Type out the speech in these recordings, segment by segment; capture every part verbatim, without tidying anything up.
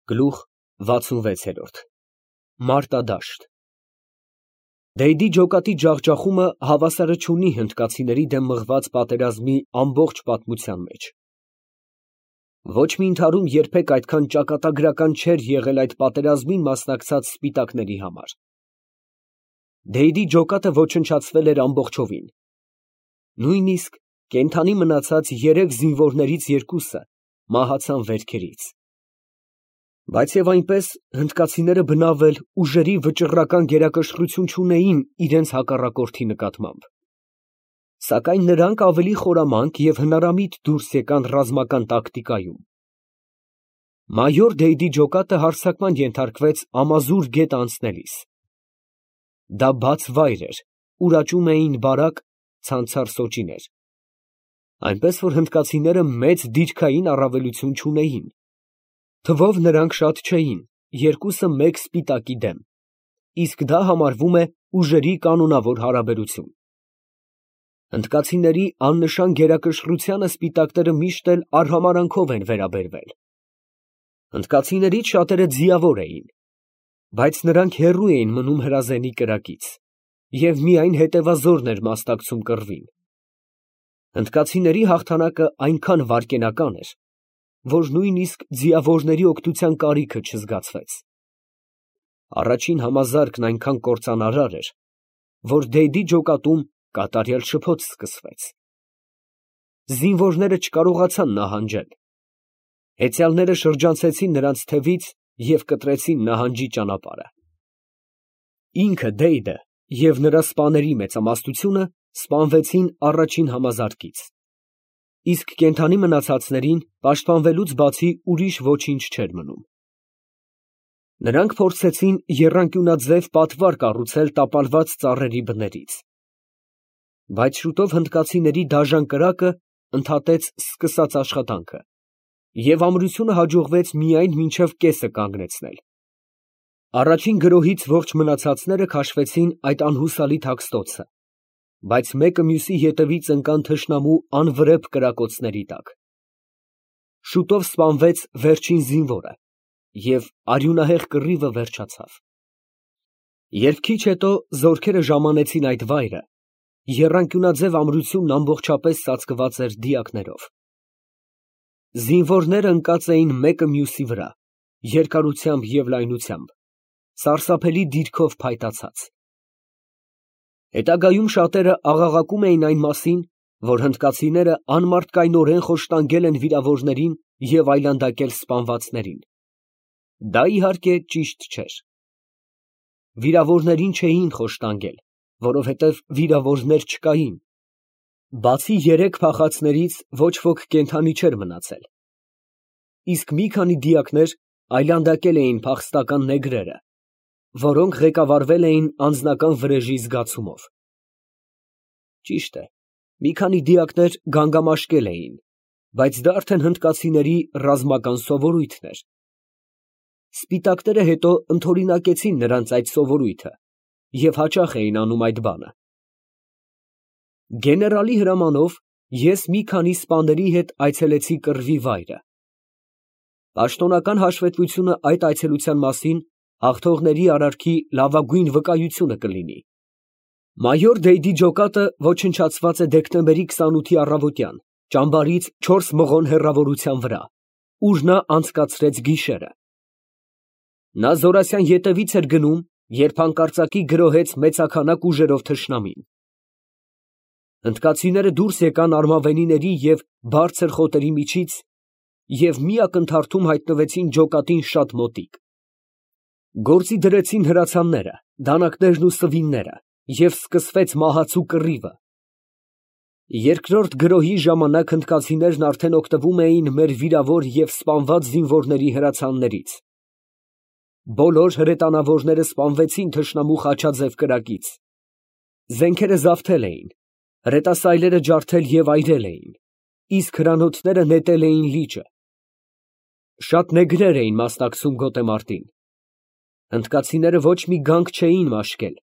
Գլուխ վաթսունվեց։ Մարտադաշտ Դեյդի ջոկատի ջախջախումը հավասարը չունի հնդկացիների դեմ մղված պատերազմի ամբողջ պատմության մեջ։ Ոչ մի ընդհարում երբեք այդքան ճակատագրական չէր եղել այդ պատերազմին մասնակցած սպիտակների համար։ Դեյդի ջոկատը ոչնչացվել էր ամբողջովին։ Նույնիսկ կենդանի մնացած երեք զինվորներից երկուսը մահացան վերքերից։ Բայց և այնպես հնդկացիները բնավ էլ ուժերի վճռական գերակշռություն չունեին իրենց հակառակորդի նկատմամբ։ Սակայն նրանք ավելի խորամանկ և հնարամիտ դուրս եկան ռազմական տակտիկայում։ Մայոր Դեյդի ջոկատը հարձակման ենթարկվեց Ամազուր գետը անցնելիս։ Դա բաց վայր էր, ուր աճում էին բարակ, ցանցառ սոճիներ, այնպես որ հնդկացիները մեծ դիրքային առավելություն չունեին։ Թվով նրանք շատ չէին, երկուսը մեկ սպիտակի դեմ, իսկ դա համարվում է ուժերի կանոնավոր հարաբերություն։ Հնդկացիների աննշան գերակշռությանը սպիտակները միշտ էլ արհամարհանքով են վերաբերվել։ Հնդկացիներից շատերը ձիավոր էին, բայց նրանք հեռու էին մնում հրազենի կրակից, և միայն հետևազորն էր մասնակցում կռվին։ Հնդկացիների հաղթանակը այնքան վայրկենական էր, որ նույնիսկ ձիավորների օգնության կարիքը չզգացվեց։ Առաջին համազարկն այնքան կործանարար էր, որ Դեյդի ջոկատում կատարյալ շփոթ սկսվեց։ Զինվորները չկարողացան նահանջել։ Հեծյալները շրջանցեցին նրանց թևից և կտրեցին նահանջի ճանապարհը։ Ինքը Դեյդը և նրա սպաների մեծամասնությունը սպանվեցին առաջին համազարկից, իսկ կենդանի մնացածներին պաշտպանվելուց բացի ուրիշ ոչինչ չէր մնում։ Նրանք փորձեցին եռանկյունաձև պատվար կառուցել տապալված ծառերի բներից, բայց շուտով հնդկացիների դաժան կրակը ընդհատեց սկսած աշխատանքը, և ամրությունը հաջողվեց միայն մինչև կեսը կանգնեցնել։ Առաջին գրոհից ողջ մնացածները քաշվեցին այդ անհուսալի թաքստոցը, բայց մեկը մյուսի ետևից ընկան թշնամու անվրեպ կրակոցների տակ։ Շուտով սպանվեց վերջին զինվորը, և արյունահեղ կռիվը վերջացավ։ Երբ քիչ հետո զորքերը ժամանեցին այդ վայրը, եռանկյունաձև ամրությունն ամբողջապես ծածկված էր դիակներով։ Զինվորները ընկած էին մեկը մյուսի վրա, երկարությամբ և լայնությամբ, սարսափելի դիրքով փայտացած։ Հետագայում շատերը աղաղակում էին այն մասին, որ հնդկացիները անմարդկայնորեն խոշտանգել են վիրավորներին և այլանդակել սպանվածներին։ Դա, իհարկե, ճիշտ չէր։ Վիրավորներին չէին խոշտանգել, որովհետև վիրավորներ չկային։ Բացի երեք փախածներից ոչ ոք կենդանի չէր մնացել, իսկ մի քանի դիակներ այլանդակել էին փախստական նեգրերը, որոնք ղեկավարվել էին անձնական վրեժի զգացումով։ Ճիշտ է, մի քանի դիակներ գանգամաշկել էին, բայց դա արդեն հնդկացիների ռազմական սովորույթն էր։ Սպիտակները հետո ընդօրինակեցին նրանց այդ սովորույթը և հաճախ էին անում այդ բանը։ Գեներալի հրամանով ես մի քանի սպաների հետ այցելեցի կռվի վայրը։ Պաշտոնական հաշվետվությունը այդ այցելության մասին հաղթողների արարքի լավագույն վկայությունը կլինի։ Մայոր Դեյդի ջոկատը ոչնչացված է դեկտեմբերի քսանութի առավոտյան, ճամբարից չորս մղոն հեռավորության վրա, ուր նա անցկացրեց գիշերը։ Նա զորասյան ետևից էր գնում, երբ հանկարծակի գրոհեց մեծաքանակ ուժերով թշնամին։ Հնդկացիները դուրս եկան արմավենիների և բարձր խոտերի միջից և մի ակնթարթում հայտնվեցին ջոկատին շատ մոտիկ։ Գործի դրեցին հրացանները, դանականերն ու սվինները, և սկսվեց մահացու կռիվը։ Երկրորդ գրոհի ժամանակ հնդկացիներն արդեն օգտվում էին մեր վիրավոր և սպանված զինվորների հրացաններից։ Բոլոր հրետանավորները սպանվեցին թշնամու խաչաձև կրակից։ Զենքերը զավթել էին, հրետասայլերը ջարդել և այրել էին, իսկ հրանոթները նետել էին լիճը։ Շատ նեգրեր էին մասնակցում գոտեմարտին։ Հնդկացիները ոչ մի գանք չէին մաշկել,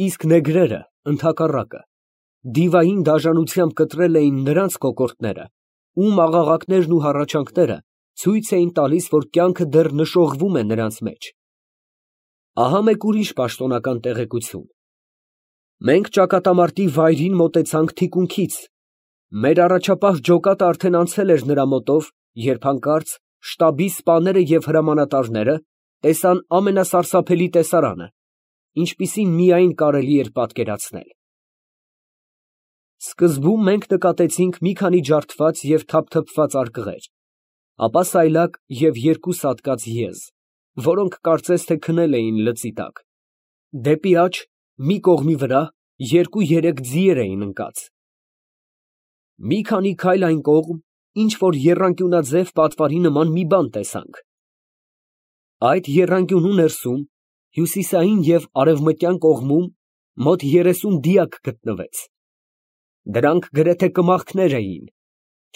իսկ նեգրերը, ընդհակառակը, դիվային դաժանությամբ կտրել էին նրանց կոկորդները, ում աղաղակներն ու հառաչանքները ցույց էին տալիս, որ կյանքը դեռ նշողվում է նրանց մեջ։ Ահա մեկ ուրիշ պաշտոնական տեղեկություն. մենք ճակատամարտի վայրին մոտեցանք թիկունքից, մեր առաջապահ ջոկատը արդեն անցել էր նրա մոտով, երբ հանկարծ շտաբի սպաները և հրամանատարները տեսան ամենասարսափելի տեսարանը, ինչպիսին միայն կարելի էր պատկերացնել։ Սկզբում մենք նկատեցինք մի քանի ջարդված և թափթփված արկղեր, ապա սայլակ և երկու սատկած եզ, որոնք կարծես թե քնել էին լծի տակ։ Դեպի աջ, մի կողմի վրա, երկու֊երեք ձիեր էին ընկած։ Մի քանի քայլ այն կողմ, ինչ֊որ եռանկյունաձև պատվարի նման մի բան տեսանք։ Այդ եռանկյունու ներսում, հյուսիսային և արևմտյան կողմում, մոտ երեսուն դիակ գտնվեց։ Դրանք գրեթե կմախքներ էին,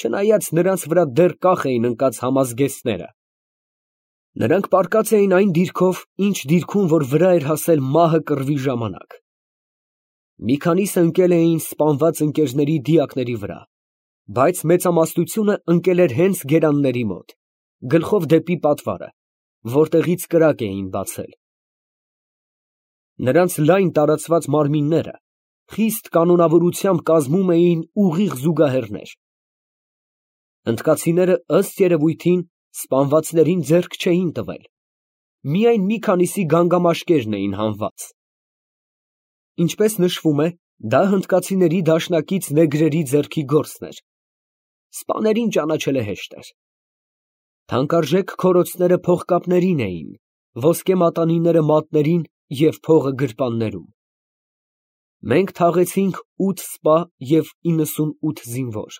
չնայած նրանց վրա դեռ կախ էին ընկած համազգեստները։ Նրանք պառկած էին այն դիրքով, ինչ դիրքում, որ վրա էր հասել մահը կռվի ժամանակ։ Մի քանիսը ընկել էին սպանված ընկերների դիակների վրա, բայց մեծամասնությունը ընկել էր հենց գերանների մոտ, գլխով դեպի պատվարը, որտեղից կրակ էին բացել։ Նրանց լայն տարածված մարմինները խիստ կանոնավորությամբ կազմում էին ուղիղ զուգահեռներ։ Հնդկացիները, ըստ երևույթին, սպանվածներին ձեռք չէին տվել, միայն մի քանիսի գանգամաշկերն էին հանված։ Ինչպես նշվում է, դա հնդկացիների դաշնակից նեգրերի ձեռքի գործն էր։ Սպաներին ճանաչելը հեշտ էր։ Թանկարժեք քորոցները փողկապներին էին, ոսկե մատանիները մատներին և փողը գրպաններում։ Մենք թաղեցինք ութ սպա և իննսունութ զինվոր։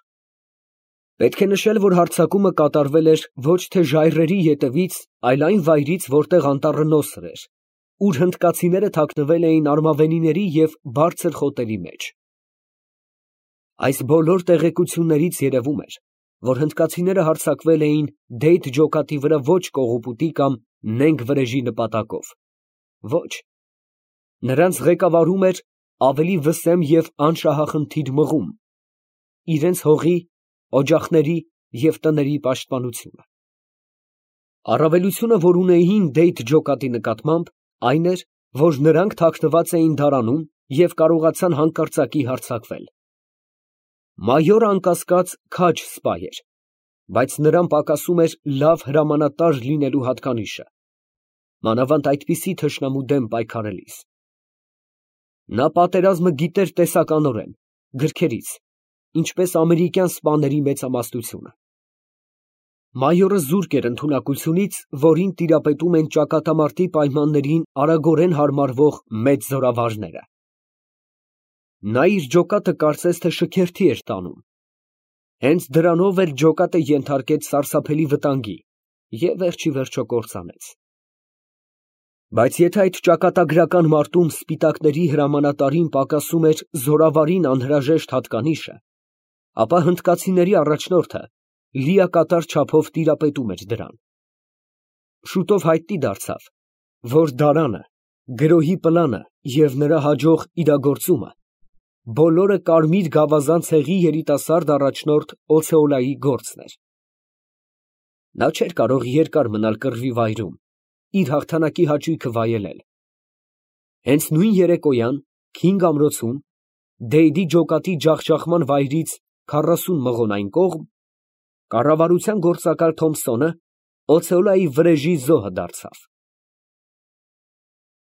Պետք է նշել, որ հարձակումը կատարվել էր ոչ թե ժայռերի ետևից, այլ այն վայրից, որտեղ անտառը նոսր էր, ուր հնդկացիները թաքնվել էին արմավենիների և բարձր խոտերի մեջ։ Այս բոլոր տեղեկություններից երևում էր, որ հնդկացիները հարձակվել էին Դեյթ ջոկատի վրա ոչ կողոպուտի կամ նենգ վրեժի նպատակով, ոչ, նրանց ղեկավարում էր ավելի վսեմ և անշահախնդիր մղում, իրենց հողի, օջախների և տների պաշտպանությունը։ Առավելությունը, որ ունեին Դեյթ ջոկատի նկատմամբ, այն էր, որ նրանք թաքնված էին դարանում և կարողացան հանկարծակի հարձակվել։ Մայորը, անկասկած, քաջ սպա էր, բայց նրան պակասում էր լավ հրամանատար լինելու հատկանիշը, մանավանդ այդպիսի թշնամու դեմ պայքարելիս։ Նա պատերազմը գիտեր տեսականորեն, գրքերից, ինչպես ամերիկյան սպաների մեծամասնությունը։ Մայորը զուրկ էր ընդունակությունից, որին տիրապետում են ճակատամարտի պայմաններին արագորեն հարմարվող մեծ զորավարները։ Նա իր ջոկատը կարծես թե շքերթի էր տանում։ Հենց դրանով էլ ջոկատը ենթարկեց սարսափելի վտանգի և վերջիվերջո կործանեց։ Բայց եթե այդ ճակատագրական մարտում սպիտակների հրամանատարին պակասում էր զորավարին անհրաժեշտ հատկանիշը, ապա հնդկացիների առաջնորդը լիակատար չափով տիրապետում էր դրան։ Շուտով հայտնի դարձավ, որ դարանը, գրոհի պլանը և նրա հաջող իրագործումը բոլորը կարմիր գավազան ցեղի երիտասարդ առաջնորդ Օցեոլայի գործն էր։ Նա չէր կարող երկար մնալ կռվի վայրում, իր հաղթանակի հաճույքը վայելել։ Հենց նույն երեկոյան, քինգ ամրոցում, Դեյդի ջոկատի ջախջախման վայրից քառասուն մղոն այն կողմ, կառավարության գործակալ Թոմփսոնը Օցեոլայի վրեժի զոհը դարձավ։